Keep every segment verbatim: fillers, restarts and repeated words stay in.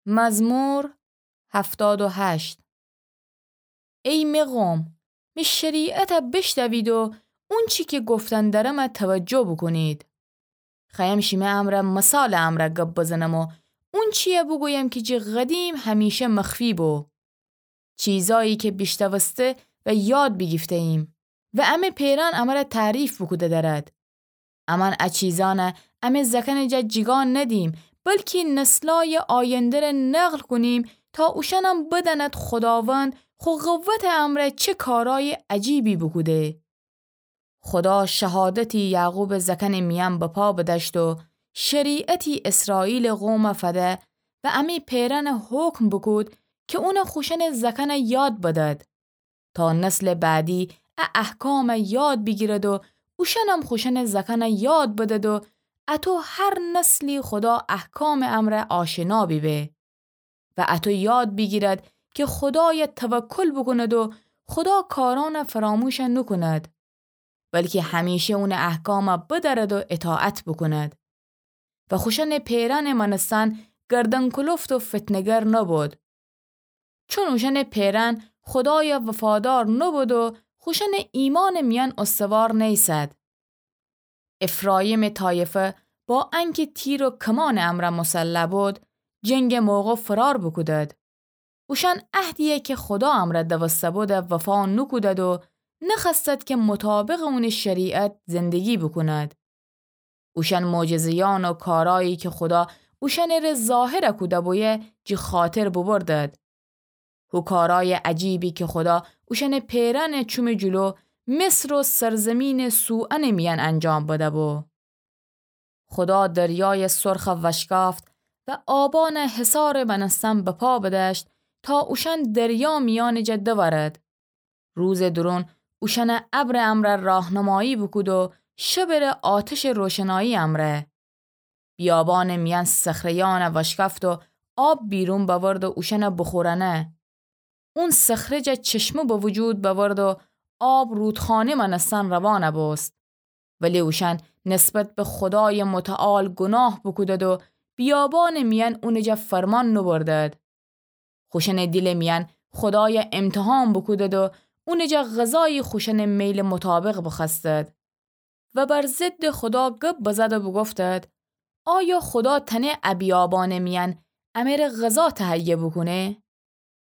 مزمور هفتاد و هشت. ای می قوم، می شریعتَ بیشنوید و اونچی کی گفتن درمَ توجه بوکونید. خوأیم شیمی امرأ مثالٚ امرأ گب بزنم و اونچیی بوگویم کی جٚه قدیم همیشه مخفی بو. چیزأیی کی بیشنوسته و یاد بیگیفته‌ییم و امه پئرأن امرَ تعریف بوکوده درد. امأن ا چیزأنَ امه زأکأنٚ جا جیگا ندیم، بلکی نسلأیٚ آینده‌ره نقل کونیم تا اوشأنم بدأند خوداوند خو قوتٚ امرأ چه کارأیٚ عجیبی بوکوده. خودا شهادتی یعقوبٚ زأکأنٚ میأن بپا بدأشت و شریعتی اسرائیلٚ قومَ فده و امه پئرأنَ حکم بوکود کی اونَ خوشأنٚ زأکأنَ یاد بدد. تا نسلٚ بعدی ا احکامَ یاد بیگیرد و اوشأنم خوشأنٚ زأکأنَ یاد بدد و اطو هر نسلی خودا احکامٚ امرأ آشنا بیبه و اطو یاد بیگیرد کی خودایَ توکل بوکوند و خودا کارأنَ فراموش نوکوند، بلکی همیشه اونٚ احکامَ بدأرد و اطاعت بوکوند. و خوشأنٚ پئرأنٚ مأنستن گردن‌کلفت و فتنه‌گر نوبود. چون اوشأنٚ پئرأن خودایَ وفادار نوبود و خوشأنٚ ایمأنٚ میأن استوار نیسد. افراییمٚ طایفه با انکی تیر و کمانٚ امرأ مسلح بود، جنگٚ موقع فرار بوکودد. اوشأن عهدیی کی خودا امرأ دوسته بودَ وفا نوکودد و نخوأستد کی مطابقٚ اونٚ شریعت زندگی بوکوند. اوشأن معجزه‌یأن و کارأیی کی خودا اوشأنٚره ظاهر کوده بویه جٚه خاطر ببردد. هو کارأیٚ عجیبی کی خودا اوشأنٚ پئرأنٚ چومٚ جلو مصر و سرزیمینٚ سوئنٚ میأن انجام بده‌بو. خودا دریایٚ سرخَ وشکافت و آبأنَ حصارٚ مأنستن بپا بدأشت تا اوشأن دریا میأنٚ جا دورد. روزٚ دورون اوشأنَ ابرٚ امرأ راهنمایی بوکود و شبٚره آتشٚ روشنایی امرأ. بیابانٚ میأن صخره‌یأنَ وشکفت و آب بیرون بأورد و اوشأنَ بوخورأنه. اون صخره جا چشمه به وجود بأورد و آب رودخانه مأنستن روانَ بوست. ولی اوشأن نسبت به خودایٚ متعال گوناه بوکودد و بیابانٚ میأن اونٚ جا فرمان نوبردد. خوشأنٚ دیلٚ میأن خودایَ امتحان بوکودد و اونٚ جا غذایی خوشأنٚ میلٚ مطابق بخوأستد و بر ضدٚ خودا گب بزد و بوگفتد: آیا خودا تأنه ا بیابانٚ میأن امره غذا تهیه بوکونه؟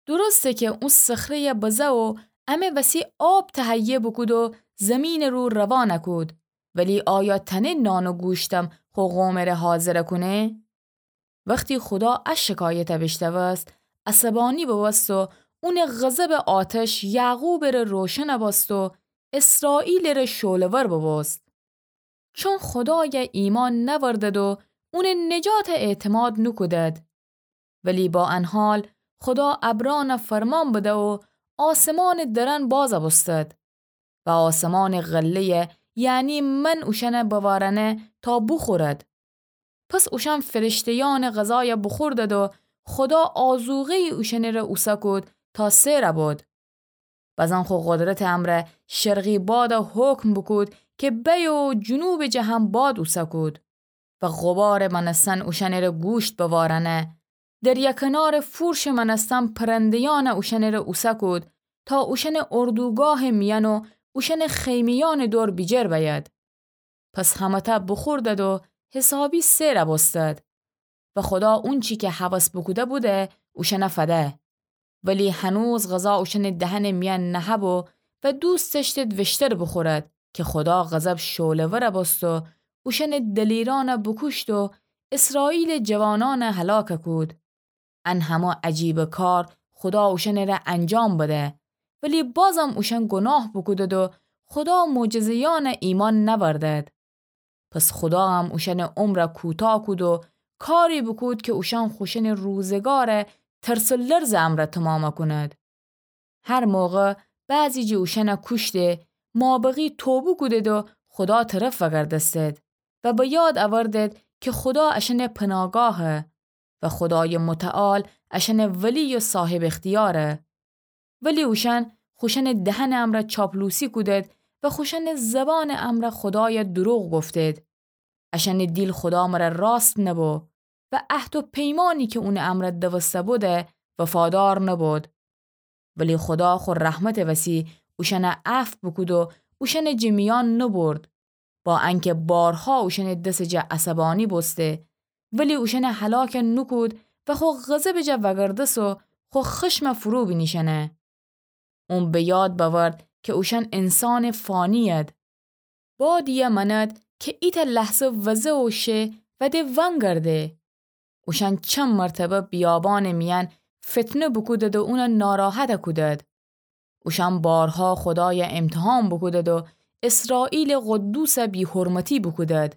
درسته کی او صخره‌یَ بزه و امه وسی آب تهیه بوکود و زیمینٚ رو روانَ کود، ولی آیا تأنه نان و گوشتم خو قومٚ ره حاضر کونه؟ وختی خودا ا شکایتَ بیشنوست، عصبانی ببوست و اونٚ غضبٚ آتش یعقوبٚ ره روشنَ بوست و اسرائیلٚ ره شعله‌ور ببوست. چون خودایَ ایمأن نأوردد و اونٚ نجاتَ اعتماد نوکودد. ولی با ان حال خودا ابرأنَ فرمان بده و آسمانٚ درأن بازَ بوستد و آسمانٚ غله‌یَ، یعنی من، اوشأنَ بوارأنه تا بوخورد. پس اوشأن فرشته‌یأنٚ غذایَ بوخوردد و خودا آذوقه‌یی اوشأنٚ ره اوسه کود تا سئرَ بد. بزن خو قدرتٚ امرأ شرقی بادَ حکم بوکود کی بأیه و جنوبٚ جه هم باد اوسه کود و غبارٚ مأنستن اوشأنٚ ره گوشت بوارأنه. دریا کنارٚ فورشٚ مأنستن پرنده‌یأنَ اوشأنٚ ره اوسه کود تا اوشأنٚ اردوگاهٚ میأن و اوشأنٚ خیمه‌یأنٚ دور بیجر بأید. پس همه‌تَ بوخوردد و حسابی سئرَ بوستد و خودا اونچی کی هوس بوکوده بوده اوشأنَ فده. ولی هنوز غذا اوشأنٚ دهنٚ میأن نهه‌بو و دوست دأشتد ویشتر بوخورد کی خودا غضب شعله‌ورَ بوست و اوشأنٚ دلیرأنَ بوکوشت و اسرائیلٚ جوانأنَ هلاکَ کود. ان همه عجیبٚ کار خودا اوشأنٚ ره انجام بده، ولی بازم اوشأن گوناه بوکودد و خودا معجزه‌یأنَ ایمأن نأوردد. پس خودا هم اوشأنٚ عمرَ کوتاه کود و کاری بوکود کی اوشأن خوشأنٚ روزگارَ ترس و لرزٚ امرأ تومامَ کونید. هر موقع بعضی جٚه اوشأنَ کوشته، مابقی توبه کودید و خودا طرف وأگردستید و به یاد اوردید کی خودا اشأنٚ پناگاهه و خودایٚ متعال اشأنٚ ولی و صاحب اختیاره. ولی اوشأن خوشأنٚ دهنٚ امرأ چاپلوسی کودید و خوشأنٚ زبانٚ امرأ خودایَ دروغ گفتید. اشأنٚ دیل خودا مرأ راست نبو و عهد و پیمانی کی اونٚ امرأ دوسته بوده وفادار نبود. ولی خودا خو رحمتٚ وسی اوشأن عفو بوکود و اوشأنٚ جٚه میأن نوبرد، با انکه بارها اوشأنٚ دسٚ جٚه عصبانی بوسته، ولی اوشأن هلاک نوکود و خو غضبٚ جٚه وأگردست و خو خشم فرو بینیشأنه. اون به یاد بأورد کی اوشأن انسانٚ فانی‌ید. بادیی مأند کی ایتأ لحظه وزه و شه و د ونگرده. اوشأن چند مرتبه بیابانٚ میأن فتنه بوکودد و اون ناراحت کودد. اوشأن بارها خودای امتحان بوکودد و اسرائیلٚ قدوس بی‌حرمتی بوکودد.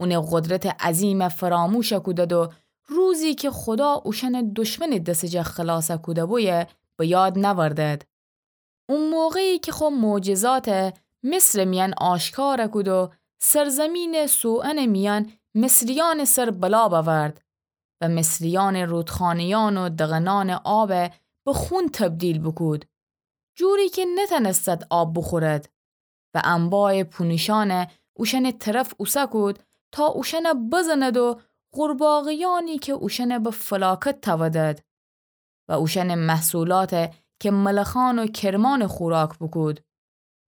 اونٚ قدرتٚ عظیم فراموش کودد و روزی کی خودا اوشأن دشمنٚ دسٚ جٚه خلاص کوده بویه به یاد نأوردد. او موقعی کی خو معجزات مصرٚ میأن آشکار کود و سرزمینٚ سوئنٚ میأن مصریأنٚ سر بلا بأورد و مصریأنٚ رودخانه‌یأن و دغنأنٚ آب به خون تبدیل بوکود، جوری کی نتأنستد آب بوخورد و انبایٚ پونیشأن اوشأنٚ طرف اوسه کود تا اوشأن بزند و قورباغه‌یأنی کی اوشأن به فلاکت تأودد و اوشأنٚ محصولات کی ملخأن و کرمأن خوراک بوکود.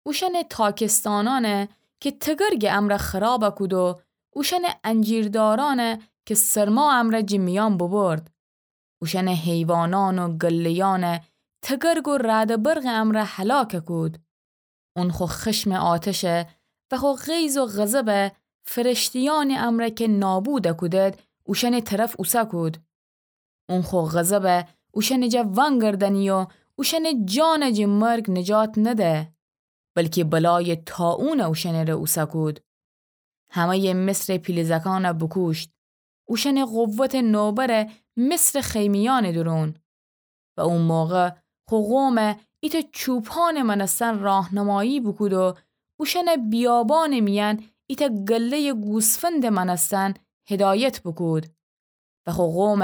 اوشأنٚ تاکستانأن کی تگرگٚ امرأ خراب کود و اوشأنٚ انجیردارأن کی سرما امرأ جٚه میأن ببرد. اوشأنٚ حیوانأن و گله‌یأن تگرگ و رعد و برقٚ امرأ هلاک کود. اون خو خشمٚ آتش و خو غیظ و غضب فرشته‌یأنٚ امرأ کی نابود کودد اوشأنٚ طرف اوسه کود. اون خو غضب اوشأنٚ جٚه ونگردأنی و اوشأنٚ جان جٚه مرگ نجات نده، بلکی بلایٚ طاعون اوشأنٚ ره اوسه کود. همه‌یٚ مصرٚ پیله زأکأن بوکوشت، اوشأنٚ قوتٚ نوبر مصرٚ خیمه‌یأنٚ دورون. و او موقع خو قوم ایتأ چوپانٚ مأنستن راهنمایی بوکود و اوشأن بیابانٚ میأن ایتأ گله‌یٚ گوسفندٚ مأنستن هدایت بوکود. و خو قوم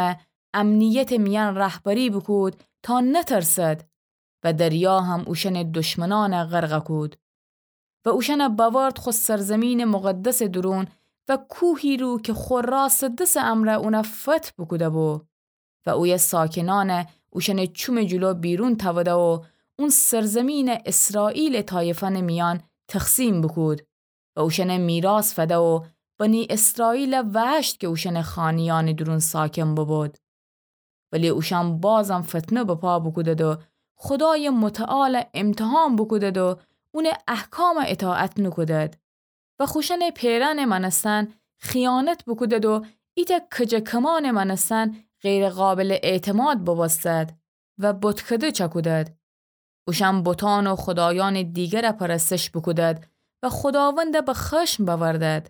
امنیتٚ میأن رهبری بوکود تا نترسد و دریا هم اوشأنٚ دشمنأن غرق کود. و اوشأن بأورد خو سرزیمینٚ مقدسٚ دورون و کوهی رو کی خو راستٚ دسٚ امرأ اون فتح بوکوده‌بو. و اویه ساکنأن اوشأنٚ چومٚ جلو بیرون تأوده و اون سرزیمین اسرائیلٚ طایفأنٚ میأن تقسیم بوکود و اوشأن میراث فده و بنی اسرائیل وأشت کی اوشأنٚ خانه‌یأنٚ دورون ساکن ببود. ولی اوشأن بازم فتنه بپا بوکودد و خودایٚ متعال امتحان بوکودد و اونٚ احکام اطاعت نوکودد. و خوشأنٚ پئرأنٚ مأنستن خیانت بوکودد و ایتأ کجه کمانٚ مأنستن غیر قابلٚ اعتماد ببوستد و بتکده چأکودد. اوشأن بتأن و خودایأنٚ دیگر پرستش بوکودد و خوداوند به خشم بأوردد.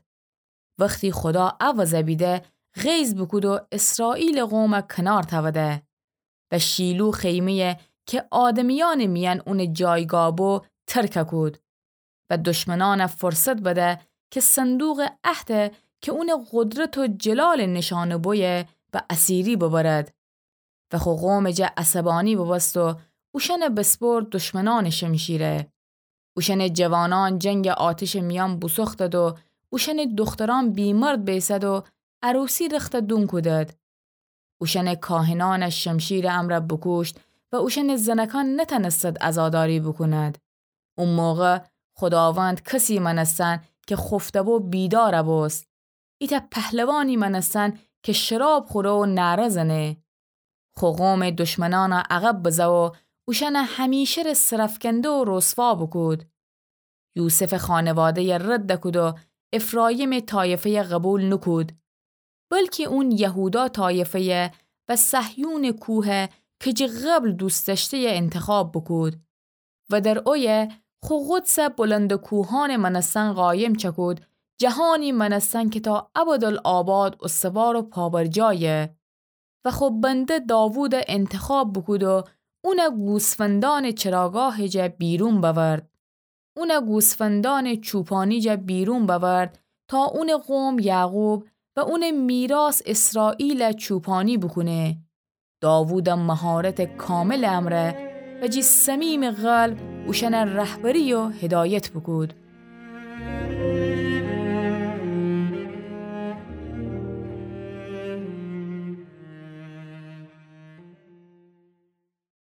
وختی خودا اوضع بیده، غیظ بوکود و اسرائیلٚ قوم کنار تأوده. و شیلو خیمه‌یی کی آدمیأنٚ میأن اونٚ جایگاه بو، ترک کود. و دشمنأن فرصت بده کی صندوقٚ عهد کی اونٚ قدرت و جلالٚ نشانه بویه به اسیری ببرد. و خو قومٚ جا عصبانی ببوست و اوشأن بسپرد دشمنأنٚ شمشیره. اوشأنٚ جوانأن جنگٚ آتشٚ میأن بوسوختد و اوشأنٚ دخترأن بی‌مرد بیسد و عروسی رخت دون کودد. اوشأنٚ کاهنأن شمشیرٚ امرأ بوکوشت و اوشأنٚ زنکأن نتأنستد عزاداری بوکوند. او موقع خوداوند کسی مأنستن کی خفته‌بو بیدار بوست. ایتأ پهلوانی مأنستن کی شراب خوره و نعره زنه. خو قومٚ دشمنأن عقب بزه و اوشأن همیشه‌ره سرأفکنده و رسوا بوکود. یوسفٚ خانواده‌ی رد کود و افرایمٚ طایفه‌ی قبول نوکود، بلکی اون یهودا طایفه‌ی و صهیونٚ کوه کی جٚه قبل دوست دأشته‌ی انتخاب بوکود و در اویه خو قدس بلندٚ کوهأنٚ مأنستن قایم چأکود، جهانی مأنستن کی تا ابدالآباد استوار و پابرجایه. و خو بنده داوود انتخاب بوکود و اون گوسفندأنٚ چراگاهٚ جا بیرون بأورد. اون گوسفندأنٚ چوپانی جا بیرون بأورد تا اونٚ قوم یعقوب و اونٚ میراث اسرائیل چوپانی بوکونه. داوود مهارتٚ کاملٚ امرأ و جٚه صمیمٚ قلب اوشأن رهبری و هدایت بوکود.